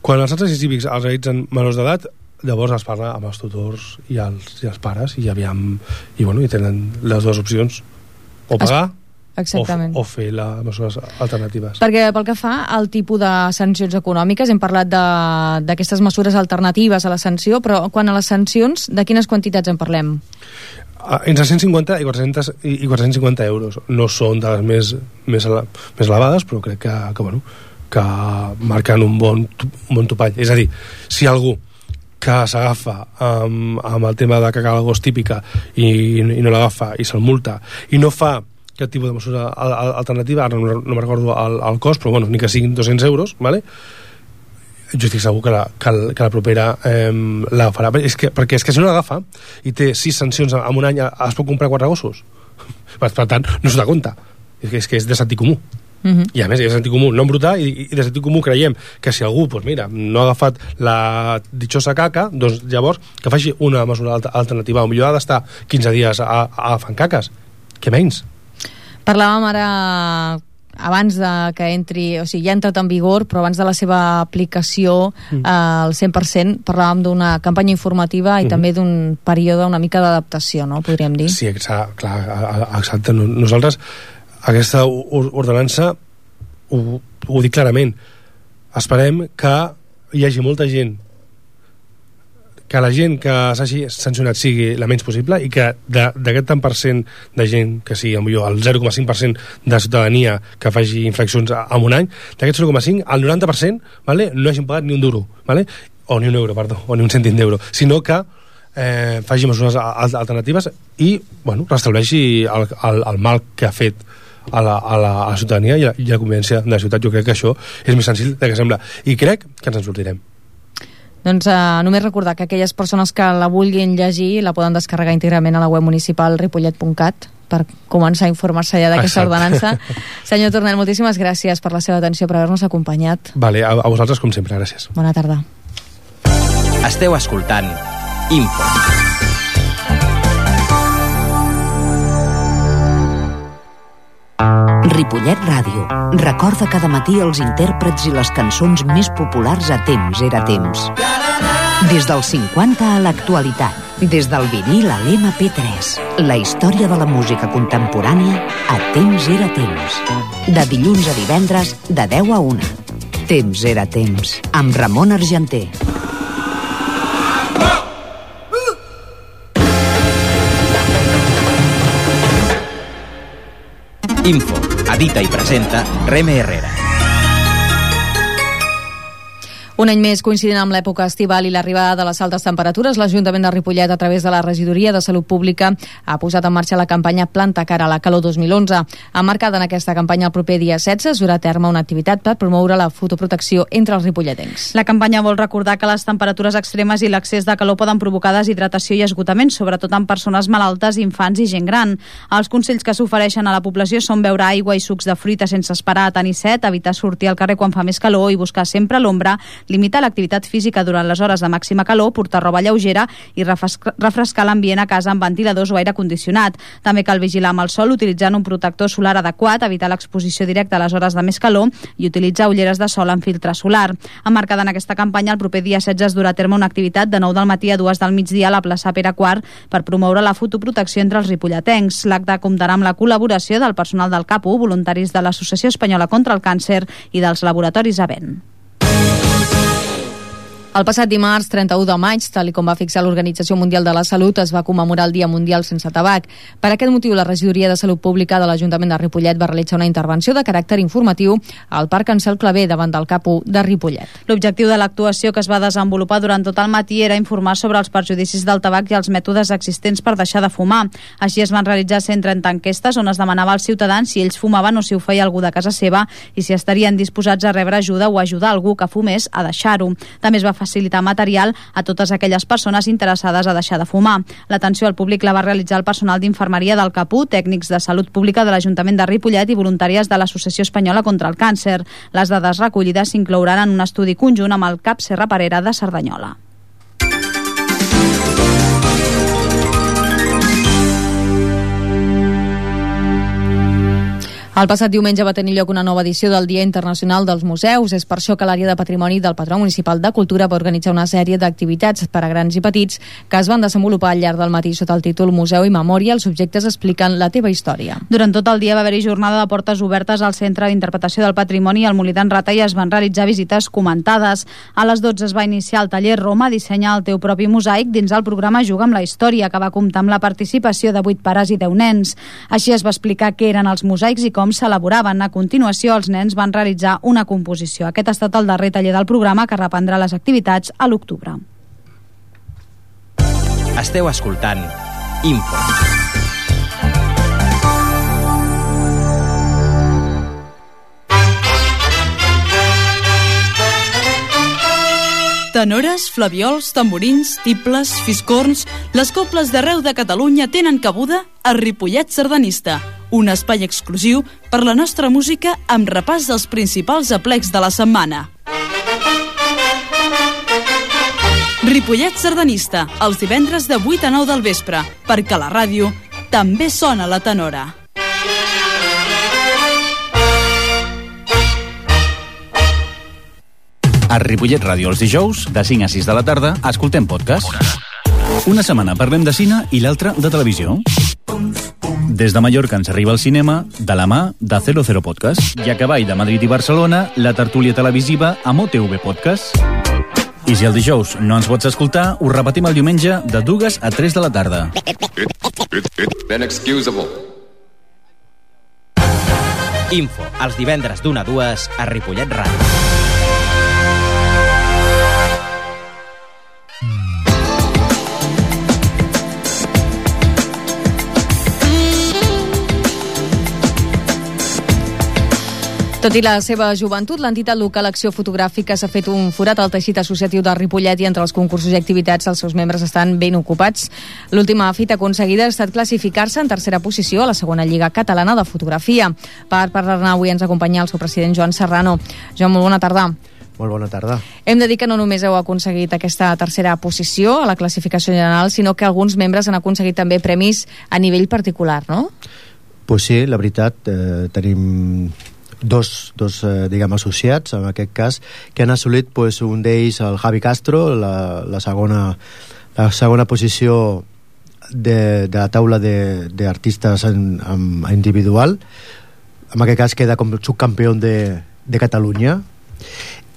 Quan els actes incívics els realitzen menors d'edat, llavors es parla amb els tutors i els pares i tenen les dues opcions, o pagar o fer les mesures alternatives. Perquè pel que fa al tipus de sancions econòmiques, hem parlat d'aquestes mesures alternatives a la sanció, però quan a les sancions, de quines quantitats en parlem? Entre 150 i 450 euros. No són de les més elevades, però crec que que marquen un bon topall. És a dir, si algú que s'agafa amb el tema de cagar la gos típica i no l'agafa i se'l multa i no fa aquest tipus de mesura alternativa, ara no me'n recordo el cost, però bueno, ni que siguin 200 euros, ¿vale? Jo estic segur que la propera la farà, perquè és que si no l'agafa i té 6 sancions en un any, es pot comprar 4 gossos. Per tant, no s'ho da compte. És que és de sentit comú. I a més, és de sentit comú, no embrutar, i de sentit comú creiem que si algú, doncs mira, no ha agafat la ditxosa caca, doncs llavors que faci una mesura alternativa. O millor ha d'estar 15 dies agafant caques. Què menys? Parlàvem ara abans de que entri, o sigui, ja ha entrat en vigor, però abans de la seva aplicació al 100%, parlàvem d'una campanya informativa i també d'un període una mica d'adaptació, no? Podríem dir. Sí, clar, exacte. Nosaltres, aquesta ordenança, ho dic clarament, esperem que hi hagi molta gent, que la gent que s'hagi sancionat sigui la menys possible i que d'aquest tant per cent de gent, que sigui millor el 0,5% de ciutadania que faci infraccions en un any, d'aquest 0,5, el 90%, ¿vale? No hagin pagat ni un duro, ¿vale? O ni un euro, perdó, o ni un cèntim d'euro, sinó que faci mesures alternatives i, bueno, restableixi el mal que ha fet a la ciutadania i la convivència de la ciutat. Jo crec que això és més senzill del que sembla i crec que ens en sortirem. Doncs només recordar que aquelles persones que la vulguin llegir la poden descarregar íntegrament a la web municipal ripollet.cat per començar a informar-se ja d'aquesta ordenança. Senyor Tornel, moltíssimes gràcies per la seva atenció, per haver-nos acompanyat. Vale, a vosaltres com sempre, gràcies. Bona tarda. Esteu escoltant Info. Ripollet Ràdio recorda cada matí els intèrprets i les cançons més populars a Temps era temps. Des dels 50 a l'actualitat, des del vinil a l'MP3, la història de la música contemporània a Temps era temps. De dilluns a divendres, de 10 a 1. Temps era temps, amb Ramon Argenter. Info, edita i presenta Reme Herrera. Un any més, coincidint amb l'època estival i l'arribada de les altes temperatures, l'Ajuntament de Ripollet, a través de la Regidoria de Salut Pública, ha posat en marxa la campanya Planta cara a la calor 2011. Emmarcada en aquesta campanya el proper dia 16 es durà a terme una activitat per promoure la fotoprotecció entre els ripolletens. La campanya vol recordar que les temperatures extremes i l'excés de calor poden provocar deshidratació i esgotament, sobretot en persones malaltes, infants i gent gran. Els consells que s'ofereixen a la població són beure aigua i sucs de fruita sense esperar a tenir set, evitar sortir al carrer quan fa més calor i buscar sempre l'ombra, limitar l'activitat física durant les hores de màxima calor, portar roba lleugera i refrescar l'ambient a casa amb ventiladors o aire condicionat. També cal vigilar amb el sol utilitzant un protector solar adequat, evitar l'exposició directa a les hores de més calor i utilitzar ulleres de sol amb filtre solar. Emmarcada en aquesta campanya, el proper dia 16 es durà a terme una activitat de 9 del matí a 2 del migdia a la plaça Pere IV per promoure la fotoprotecció entre els ripolletencs. L'acte comptarà amb la col·laboració del personal del CAPU, voluntaris de l'Associació Espanyola contra el Càncer i dels laboratoris Avent. El passat dimarts, 31 de maig, tal com va fixar l'Organització Mundial de la Salut, es va commemorar el Dia Mundial sense tabac. Per aquest motiu, la Regidoria de Salut Pública de l'Ajuntament de Ripollet va realitzar una intervenció de caràcter informatiu al Parc Ansel Clavé davant del CAPU de Ripollet. L'objectiu de l'actuació, que es va desenvolupar durant tot el matí, era informar sobre els perjudicis del tabac i els mètodes existents per deixar de fumar. Així es van realitzar 130 enquestes on es demanava als ciutadans si ells fumaven o si ho feia algú de casa seva i si estarien disposats a rebre ajuda o ajudar algú que fumés a deixar-ho. També es va facilitar material a totes aquelles persones interessades a deixar de fumar. L'atenció al públic la va realitzar el personal d'infermeria del CAPU, tècnics de salut pública de l'Ajuntament de Ripollet i voluntàries de l'Associació Espanyola contra el Càncer. Les dades recollides s'inclouran en un estudi conjunt amb el CAP Serra Parera de Cerdanyola. El passat diumenge va tenir lloc una nova edició del Dia Internacional dels Museus. És per això que l'àrea de patrimoni del Patró Municipal de Cultura va organitzar una sèrie d'activitats per a grans i petits que es van desenvolupar al llarg del matí sota el títol Museu i Memòria. Els subjectes expliquen la teva història. Durant tot el dia va haver-hi jornada de portes obertes al Centre d'Interpretació del Patrimoni al Molí d'en Rata i es van realitzar visites comentades. A les 12 es va iniciar el taller Roma, dissenya el teu propi mosaic dins el programa Juga amb la Història, que va comptar amb la participació de 8 pares i 10 nens. Així es va explicar què eren els mosaics i com com s'elaboraven. A continuació, els nens van realitzar una composició. Aquest ha estat el darrer taller del programa, que reprendrà les activitats a l'octubre. Esteu escoltant Info. Tenores, flaviols, tamborins, tibles, fiscorns... Les cobles d'arreu de Catalunya tenen cabuda a Ripollet Sardanista, un espai exclusiu per la nostra música amb repàs dels principals aplecs de la setmana. Ripollet Sardanista, els divendres de 8 a 9 del vespre, perquè a la ràdio també sona la tenora. A Ripollet Ràdio els dijous, de 5 a 6 de la tarda, escoltem podcast. Una setmana parlem de cine i l'altra de televisió. Des de Mallorca ens arriba al cinema de la mà de 00 Podcast. I a cavall de Madrid i Barcelona, la tertúlia televisiva amb OTV Podcast. I si el dijous no ens pots escoltar, ho repetim el diumenge de 2 a 3 de la tarda. Inexcusable. Info, els divendres d'1 a 2 a Ripollet Ràdio. Tot i la seva joventut, l'entitat local Acció Fotogràfica s'ha fet un forat al teixit associatiu de Ripollet i entre els concursos i activitats els seus membres estan ben ocupats. L'última fita aconseguida ha estat classificar-se en tercera posició a la segona Lliga Catalana de Fotografia. Per parlar-ne avui ens acompanya el seu president Joan Serrano. Joan, molt bona tarda. Molt bona tarda. Hem de dir que no només heu aconseguit aquesta tercera posició a la classificació general, sinó que alguns membres han aconseguit també premis a nivell particular, no? Pues sí, la veritat, tenim dos diguem, associats, en aquest cas, que han assolit pues, un d'ells, el Javi Castro, la segona posició de la taula d'artistes individual. En aquest cas queda com subcampió de Catalunya.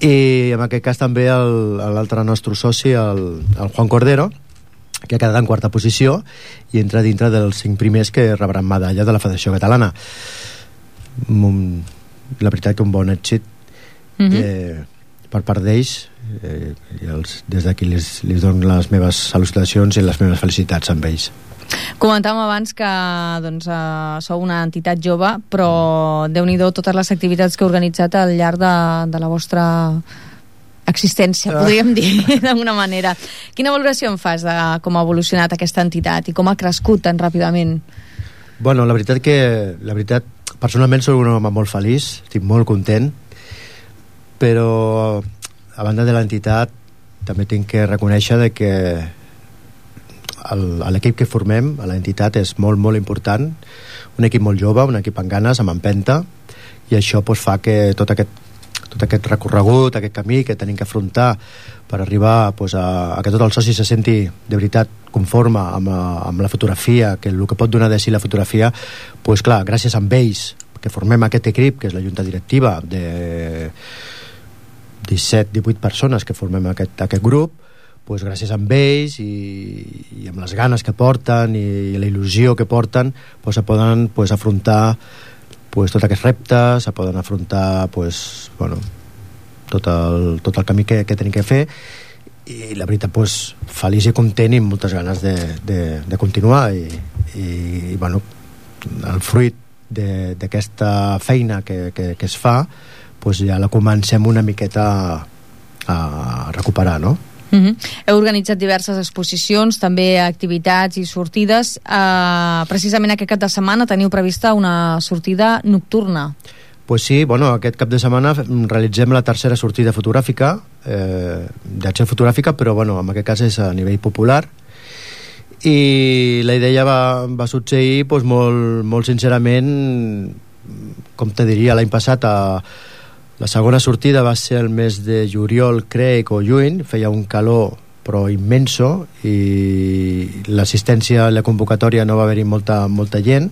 I en aquest cas també l'altre nostre soci, el Juan Cordero, que ha quedat en quarta posició i entra dintre dels 5 primers que rebran medalla de la Federació Catalana. La veritat que un bon èxit per part d'ells, des d'aquí les dono les meves salutacions i les meves felicitats amb ells. Comentàvem abans que sou una entitat jove, però Déu-n'hi-do totes les activitats que heu organitzat al llarg de la vostra existència, podríem dir d'alguna manera. Quina valoració en fas de com ha evolucionat aquesta entitat i com ha crescut tan ràpidament? Bueno, la veritat personalment soc un home molt feliç, estic molt content, però a banda de l'entitat també tinc que reconèixer que l'equip que formem a l'entitat és molt, molt important, un equip molt jove, un equip amb ganes, amb empenta, i això fa que tot aquest recorregut, aquest camí que tenim que afrontar per arribar a que tot el soci se senti de veritat conforme amb la fotografia, que el que pot donar de si la fotografia, clar, gràcies a ells que formem aquest equip, que és la junta directiva de 17-18 persones que formem aquest grup, gràcies a ells i amb les ganes que porten i la il·lusió que porten, se poden afrontar tots aquests reptes, se poden afrontar tot el camí que tenim que fer, i la veritat feliç i content i amb moltes ganes de continuar i el fruit d'aquesta feina que es fa ja la comencem una miqueta a recuperar, no? Heu organitzat diverses exposicions, també activitats i sortides. Precisament aquest cap de setmana teniu prevista una sortida nocturna. Pues sí, aquest cap de setmana realitzem la tercera sortida fotogràfica, d'acció fotogràfica, però en aquest cas és a nivell popular, i la idea va succeir molt sincerament, com te diria, l'any passat la segona sortida va ser el mes de juliol, crec, o juny, feia un calor però immenso i l'assistència a la convocatòria no va haver-hi molta gent,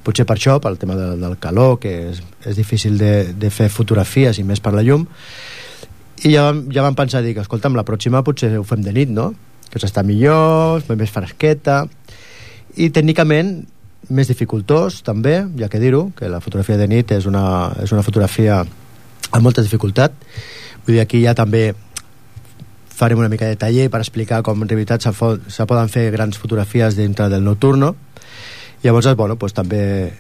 potser per això, pel tema del calor, que és difícil de fer fotografies i més per la llum, i ja vam pensar, escolta'm, la pròxima potser ho fem de nit, no? Que s'està millor, més fresqueta, i tècnicament més dificultós també, ja que dir-ho, que la fotografia de nit és una fotografia amb molta dificultat. Vull dir, aquí ja també farem una mica de taller per explicar com en realitat se poden fer grans fotografies dintre del nocturno. Llavors, bueno, pues, també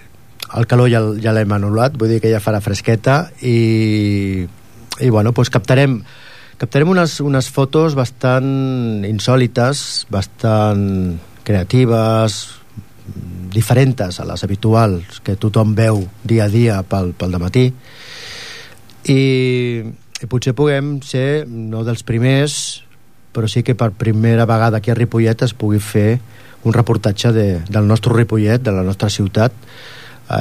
el calor ja l'hem anul·lat, vull dir que ja farà fresqueta i bueno, pues, captarem unes fotos bastant insòlites, bastant creatives, diferents a les habituals que tothom veu dia a dia pel dematí, i potser puguem ser no dels primers, però sí que per primera vegada aquí a Ripollet es pugui fer un reportatge del nostre Ripollet, de la nostra ciutat,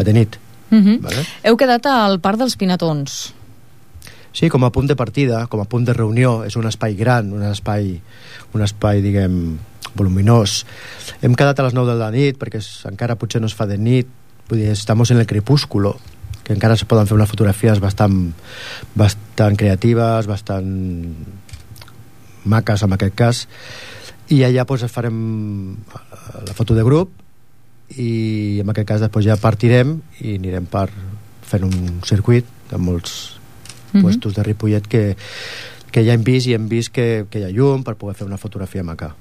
de nit. Vale? Heu quedat al Parc dels Pinatons. Sí, com a punt de partida, com a punt de reunió. És un espai gran, un espai, diguem, voluminós. Hem quedat a les 9 de la nit perquè encara potser no es fa de nit, vull dir, estamos en el crepúsculo, que encara se poden fer unes fotografies bastant creatives, bastant maques en aquest cas, i allà doncs farem la foto de grup i en aquest cas després ja partirem i anirem fent un circuit de molts puestos de Ripollet que ja hem vist, i hem vist que hi ha llum per poder fer una fotografia maca.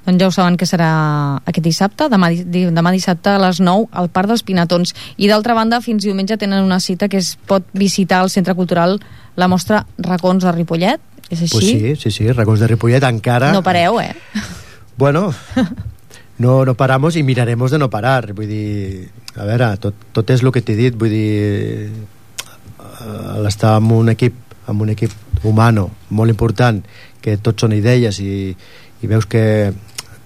Doncs ja ho saben que serà aquest dissabte, demà dissabte a les 9 al Parc dels Pinatons. I d'altra banda, fins diumenge tenen una cita que es pot visitar al Centre Cultural, la mostra Racons de Ripollet. És així? Pues sí, Racons de Ripollet encara... No pareu, Bueno, no paramos i miraremos de no parar. Vull dir, a veure, tot és el que t'he dit, vull dir, l'estar amb un equip humano molt important, que tots són idees i veus que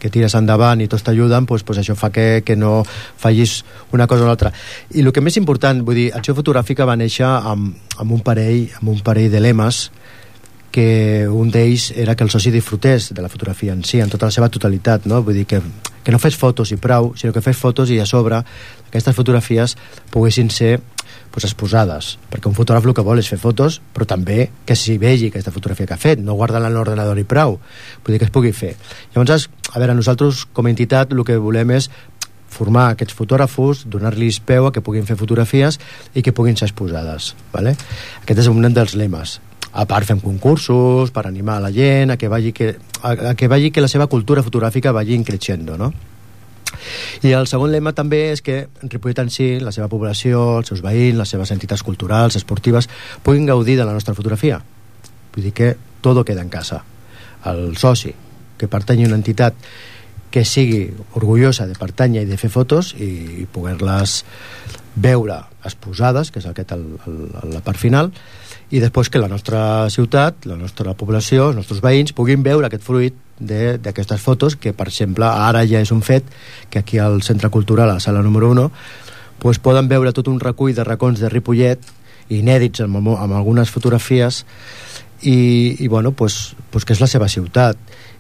tires endavant i tots t'ajuden, pues això fa que no fallis una cosa o l'altra. I el que més important, vull dir, Acció Fotogràfica va néixer amb un parell de lemes, que un d'ells era que el soci disfrutés de la fotografia en si, en tota la seva totalitat, no? Vull dir que no fes fotos i prou, sinó que fes fotos i a sobre aquestes fotografies poguessin ser exposades, perquè un fotògraf el que vol és fer fotos, però també que s'hi vegi aquesta fotografia que ha fet, no guardar-la en l'ordenador i prou, vull dir que es pugui fer. Llavors, a veure, nosaltres com a entitat el que volem és formar aquests fotògrafos, donar-los peu a que puguin fer fotografies i que puguin ser exposades, ¿vale? Aquest és un dels lemes. A part fem concursos per animar a la gent a que vegi que la seva cultura fotogràfica vagi creixent, no? I el segon lema també és que Ripollet en si, la seva població, els seus veïns, les seves entitats culturals, esportives, puguin gaudir de la nostra fotografia. Vull dir que tot queda en casa. El soci que pertanyi a una entitat que sigui orgullosa de pertànyer i de fer fotos i poder-les veure exposades, que és la part final, i després que la nostra ciutat, la nostra població, els nostres veïns puguin veure aquest fruit d'aquestes fotos, que per exemple ara ja és un fet que aquí al Centre Cultural, a la sala número 1, pues poden veure tot un recull de racons de Ripollet inèdits amb algunes fotografies i bueno, pues que és la seva ciutat,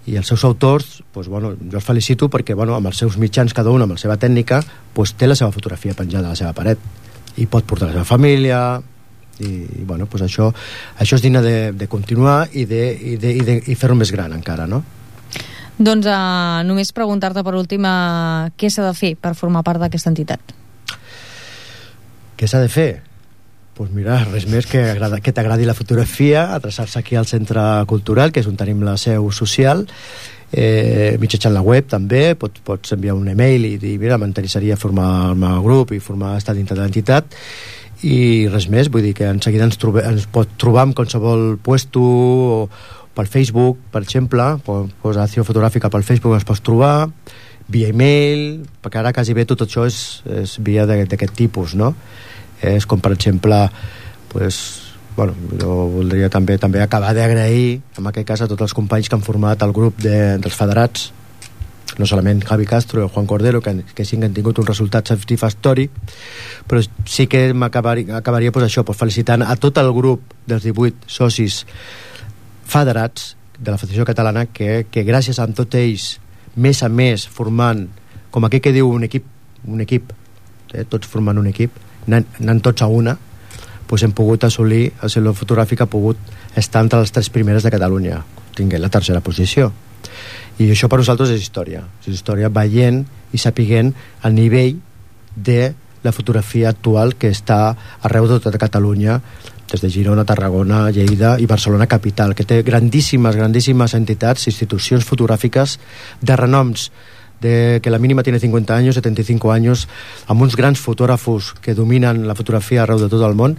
i els seus autors, pues bueno, jo els felicito perquè bueno, amb els seus mitjans, cada un amb la seva tècnica, pues té la seva fotografia penjada a la seva paret i pot portar la seva família i bueno, pues això és digne de continuar i fer-ho més gran encara, no? Doncs només preguntar-te per últim què s'ha de fer per formar part d'aquesta entitat. Què s'ha de fer? Pues mira, res més que t'agradi la fotografia, adreçar-se aquí al Centre Cultural, que és on tenim la seu social, mitjançant la web també, pots enviar un email i dir, mira, m'interessaria formar-me al grup i estar dintre de l'entitat, i res més, vull dir que en seguida ens pot trobar en qualsevol puesto o pel Facebook, per exemple, pues Acció Fotogràfica pel Facebook ens pots trobar, via email, perquè ara quasi bé tot això és via d'aquest tipus, no? És com per exemple, pues, bueno, jo voldria també acabar d'agrair en aquest cas a tots els companys que han format el grup dels federats, no solament Javi Castro i Juan Cordero, que sí que han tingut un resultat satisfactori, però sí que acabaria pues, això, pues, felicitant a tot el grup dels 18 socis federats de la Federació Catalana que gràcies a tots ells, més a més, formant, com aquell que diu un equip, tots formant un equip, anant tots a una, pues hem pogut assolir, el Saló Fotogràfic ha pogut estar entre les 3 primeres de Catalunya, tinguent la 3a posició. I això per nosaltres és història veient i sapiguent el nivell de la fotografia actual que està arreu de tota Catalunya, des de Girona, Tarragona, Lleida i Barcelona capital, que té grandíssimes entitats, institucions fotogràfiques de renoms, de que la mínima tiene 50 años, 75 años, amb uns grans fotògrafos que dominen la fotografia arreu de tot el món,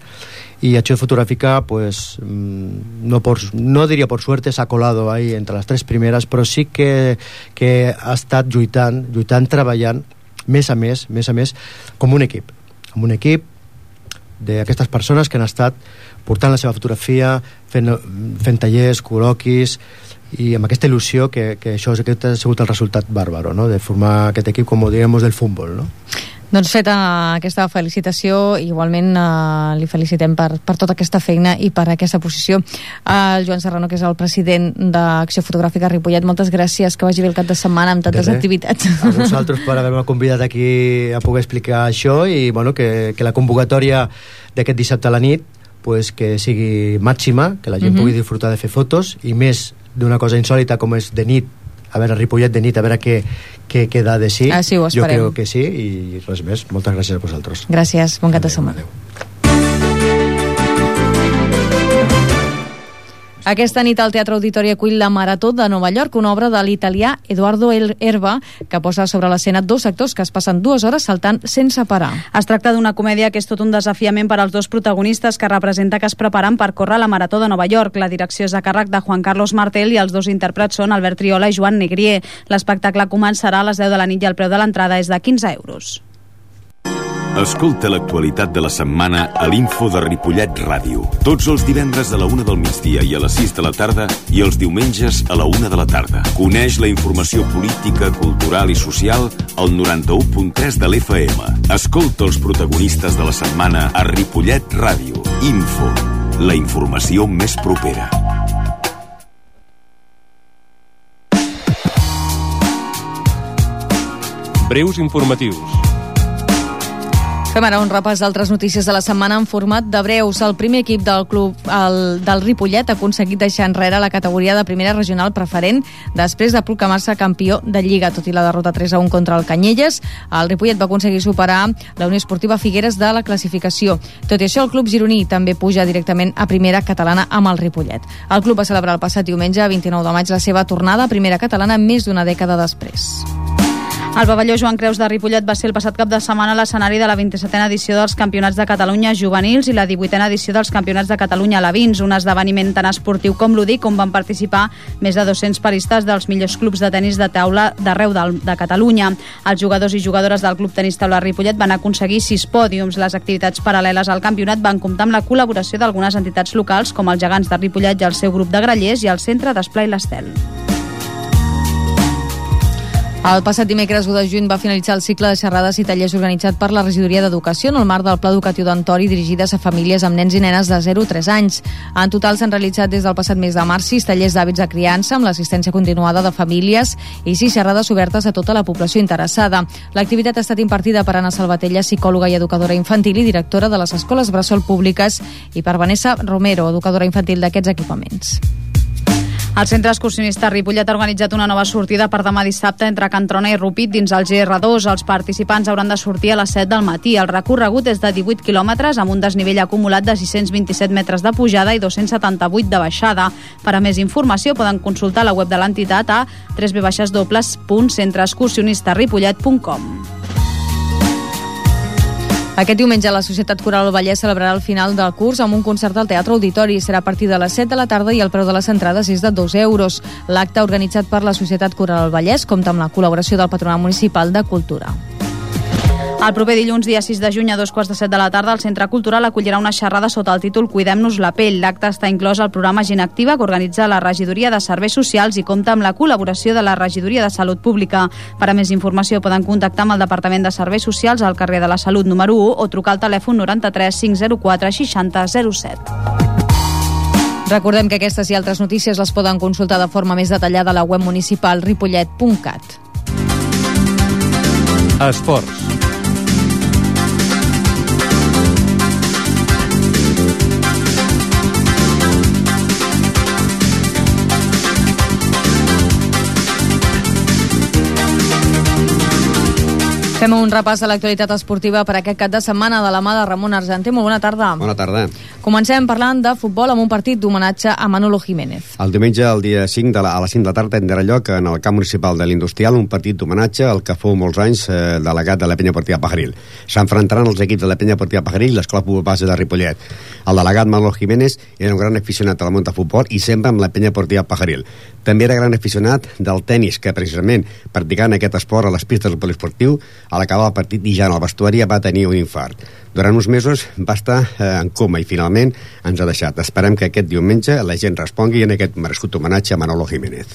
y Acció Fotográfica, pues no diría por suerte, s'ha colado ahí entre les 3 primeres, però sí que ha estat lluitant, treballant més a més, com un equip, amb un equip d'aquestes persones que han estat portant la seva fotografia, fent tallers, col·loquis, i amb aquesta il·lusió que aquest ha sigut el resultat bàrbaro, no? De formar aquest equip, com ho diguem, del futbol, no? Doncs feta aquesta felicitació, igualment li felicitem per tota aquesta feina i per aquesta posició. El Joan Serrano, que és el president d'Acció Fotogràfica Ripollet, moltes gràcies, que vagi bé el cap de setmana amb tantes activitats. A vosaltres per haver-me convidat aquí a poder explicar això, i bueno, que la convocatòria d'aquest dissabte a la nit pues, que sigui màxima, que la gent pugui disfrutar de fer fotos, i més d'una cosa insòlita com és de nit, a veure, Ripollet de nit, a veure què queda de sí. Sí, ho esperem. Jo crec que sí, i res més. Moltes gràcies a vosaltres. Gràcies, bon cap de setmana. Adéu. Aquesta nit al Teatre Auditori acull la Marató de Nova York, una obra de l'italià Edoardo Erba, que posa sobre l'escena 2 actors que es passen 2 hores saltant sense parar. Es tracta d'una comèdia que és tot un desafiament per als 2 protagonistes, que representa que es preparen per córrer la Marató de Nova York. La direcció és a càrrec de Juan Carlos Martel i els 2 intèrprets són Albert Triola i Joan Negrier. L'espectacle començarà a les 10 de la nit i el preu de l'entrada és de 15 euros. Escolta l'actualitat de la setmana a l'Info de Ripollet Ràdio. Tots els divendres a la 1 del migdia i a les 6 de la tarda, i els diumenges a la 1 de la tarda. Coneix la informació política, cultural i social al 91.3 de l'FM. Escolta els protagonistes de la setmana a Ripollet Ràdio. Info, la informació més propera. Breus informatius. Fem ara un repàs d'altres notícies de la setmana en format de breus. El primer equip del club del Ripollet ha aconseguit deixar enrere la categoria de primera regional preferent després de proclamar-se campió de Lliga. Tot i la derrota 3-1 contra el Canyelles, el Ripollet va aconseguir superar la Unió Esportiva Figueres de la classificació. Tot i això, el club gironí també puja directament a primera catalana amb el Ripollet. El club va celebrar el passat diumenge, 29 de maig, la seva tornada a primera catalana més d'una dècada després. El pavelló Joan Creus de Ripollet va ser el passat cap de setmana l'escenari de la 27a edició dels Campionats de Catalunya juvenils i la 18a edició dels Campionats de Catalunya alevins, un esdeveniment tan esportiu com lúdic, on van participar més de 200 paristes dels millors clubs de tenis de taula d'arreu de Catalunya. Els jugadors i jugadores del Club Tenis Taula Ripollet van aconseguir 6 pòdiums. Les activitats paral·leles al campionat van comptar amb la col·laboració d'algunes entitats locals, com els Gegants de Ripollet i el seu grup de grallers i el Centre d'Esplai l'Estel. El passat dimecres 1 de juny va finalitzar el cicle de xerrades i tallers organitzat per la Regidoria d'Educació en el marc del Pla Educatiu d'Antori, dirigides a famílies amb nens i nenes de 0 a 3 anys. En total s'han realitzat des del passat mes de març 6 tallers d'hàbits de criança amb l'assistència continuada de famílies i 6 xerrades obertes a tota la població interessada. L'activitat ha estat impartida per Anna Salvatella, psicòloga i educadora infantil i directora de les escoles bressol públiques, i per Vanessa Romero, educadora infantil d'aquests equipaments. El Centre Excursionista Ripollet ha organitzat una nova sortida per demà dissabte entre Can Trona i Rupit dins el GR2. Els participants hauran de sortir a les 7 del matí. El recorregut és de 18 quilòmetres amb un desnivell acumulat de 627 metres de pujada i 278 de baixada. Per a més informació poden consultar la web de l'entitat a www.centreexcursionistaripollet.com. Aquest diumenge la Societat Coral del Vallès celebrarà el final del curs amb un concert al Teatre Auditori. Serà a partir de les 7 de la tarda i el preu de les entrades és de 2 euros. L'acte, organitzat per la Societat Coral del Vallès, compta amb la col·laboració del Patronat Municipal de Cultura. El proper dilluns, dia 6 de juny, a 2:15 de la tarda, el Centre Cultural acollirà una xerrada sota el títol Cuidem-nos la pell. L'acte està inclòs al programa Gent Activa, que organitza la Regidoria de Serveis Socials i compta amb la col·laboració de la Regidoria de Salut Pública. Per a més informació poden contactar amb el Departament de Serveis Socials al carrer de la Salut número 1 o trucar al telèfon 93 504 60 07. Recordem que aquestes i altres notícies les poden consultar de forma més detallada a la web municipal ripollet.cat. Esports. Fem un repàs a l'actualitat esportiva per aquest cap de setmana de la mà de Ramon Argenter. Molt bona tarda. Bona tarda. Comencem parlant de futbol amb un partit d'homenatge a Manolo Jiménez. El diumenge, el dia 5 a les 5 de la tarda, tindrà lloc en el camp municipal de l'Industrial un partit d'homenatge al que fou molts anys delegat de la Penya Esportiva Pajaril. S'enfrontaran els equips de la Penya Esportiva Pajaril i l'Escola Futbol Base de Ripollet. El delegat Manolo Jiménez era un gran aficionat al món de futbol i sempre amb la Penya Esportiva Pajaril. També era gran aficionat del tenis, que precisament practicant aquest esport a les pistes del poliesportiu, a l'acabar el partit i ja en el vestuari va tenir un infart. Durant uns mesos va estar en coma i finalment ens ha deixat. Esperem que aquest diumenge la gent respongui en aquest merescut homenatge a Manolo Jiménez.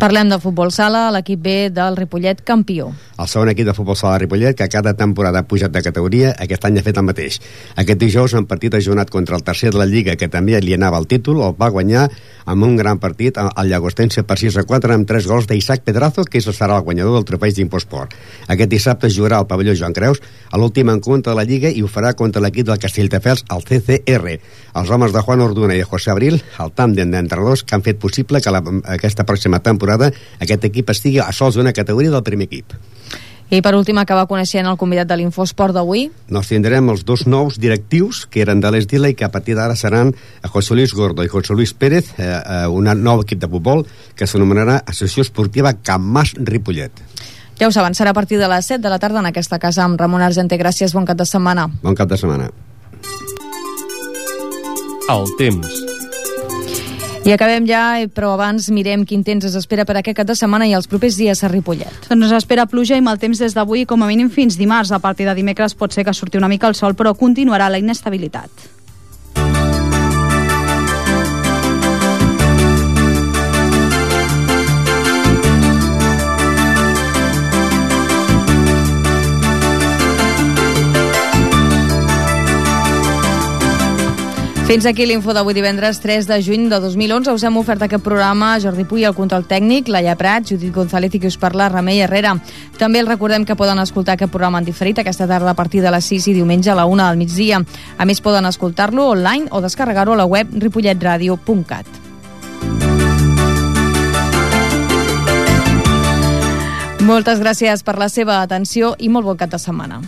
Parlem de futbol sala, l'equip B del Ripollet campió. El segon equip de futbol sala de Ripollet, que cada temporada ha pujat de categoria, aquest any ha fet el mateix. Aquest dijous, en partit ajornat contra el tercer de la Lliga, que també li anava el títol, el va guanyar amb un gran partit al Llagostense per 6-4 amb 3 gols d'Isaac Pedrazo, que serà el guanyador del trofeig d'Imposport. Aquest dissabte jugarà al pavelló Joan Creus a l'últim encontre de la Lliga i ho farà contra l'equip del Castelldefels, el CCR. Els homes de Juan Orduna i de José Abril, el tàndem d'entrenadors que han fet possible que aquesta pròxima temporada aquest equip estigui a sols d'una categoria del primer equip. I per últim acaba coneixent el convidat de l'Infosport d'avui. Nos tindrem els dos nous directius que eren de l'Esdila i que a partir d'ara seran José Luis Gordo i José Luis Pérez, un nou equip de futbol que s'anomenarà Associació Esportiva Can Mas Ripollet. Ja ho saben, serà a partir de les 7 de la tarda en aquesta casa amb Ramon Argenter. Gràcies, bon cap de setmana. Bon cap de setmana. El temps. I acabem ja, però abans mirem quin temps es espera per aquest cap de setmana i els propers dies a Ripollet. Doncs espera pluja i mal temps des d'avui com a mínim fins dimarts. A partir de dimecres pot ser que surti una mica el sol, però continuarà la inestabilitat. Fins aquí l'info d'avui divendres 3 de juny de 2011. Us hem ofert aquest programa Jordi Puy, el control tècnic, Laia Prat, Judit González i qui us parla, Remei Herrera. També els recordem que poden escoltar aquest programa en diferit aquesta tarda a partir de les 6 i diumenge a la 1 del migdia. A més, poden escoltar-lo online o descarregar-ho a la web ripolletradio.cat. Moltes gràcies per la seva atenció i molt bon cap de setmana.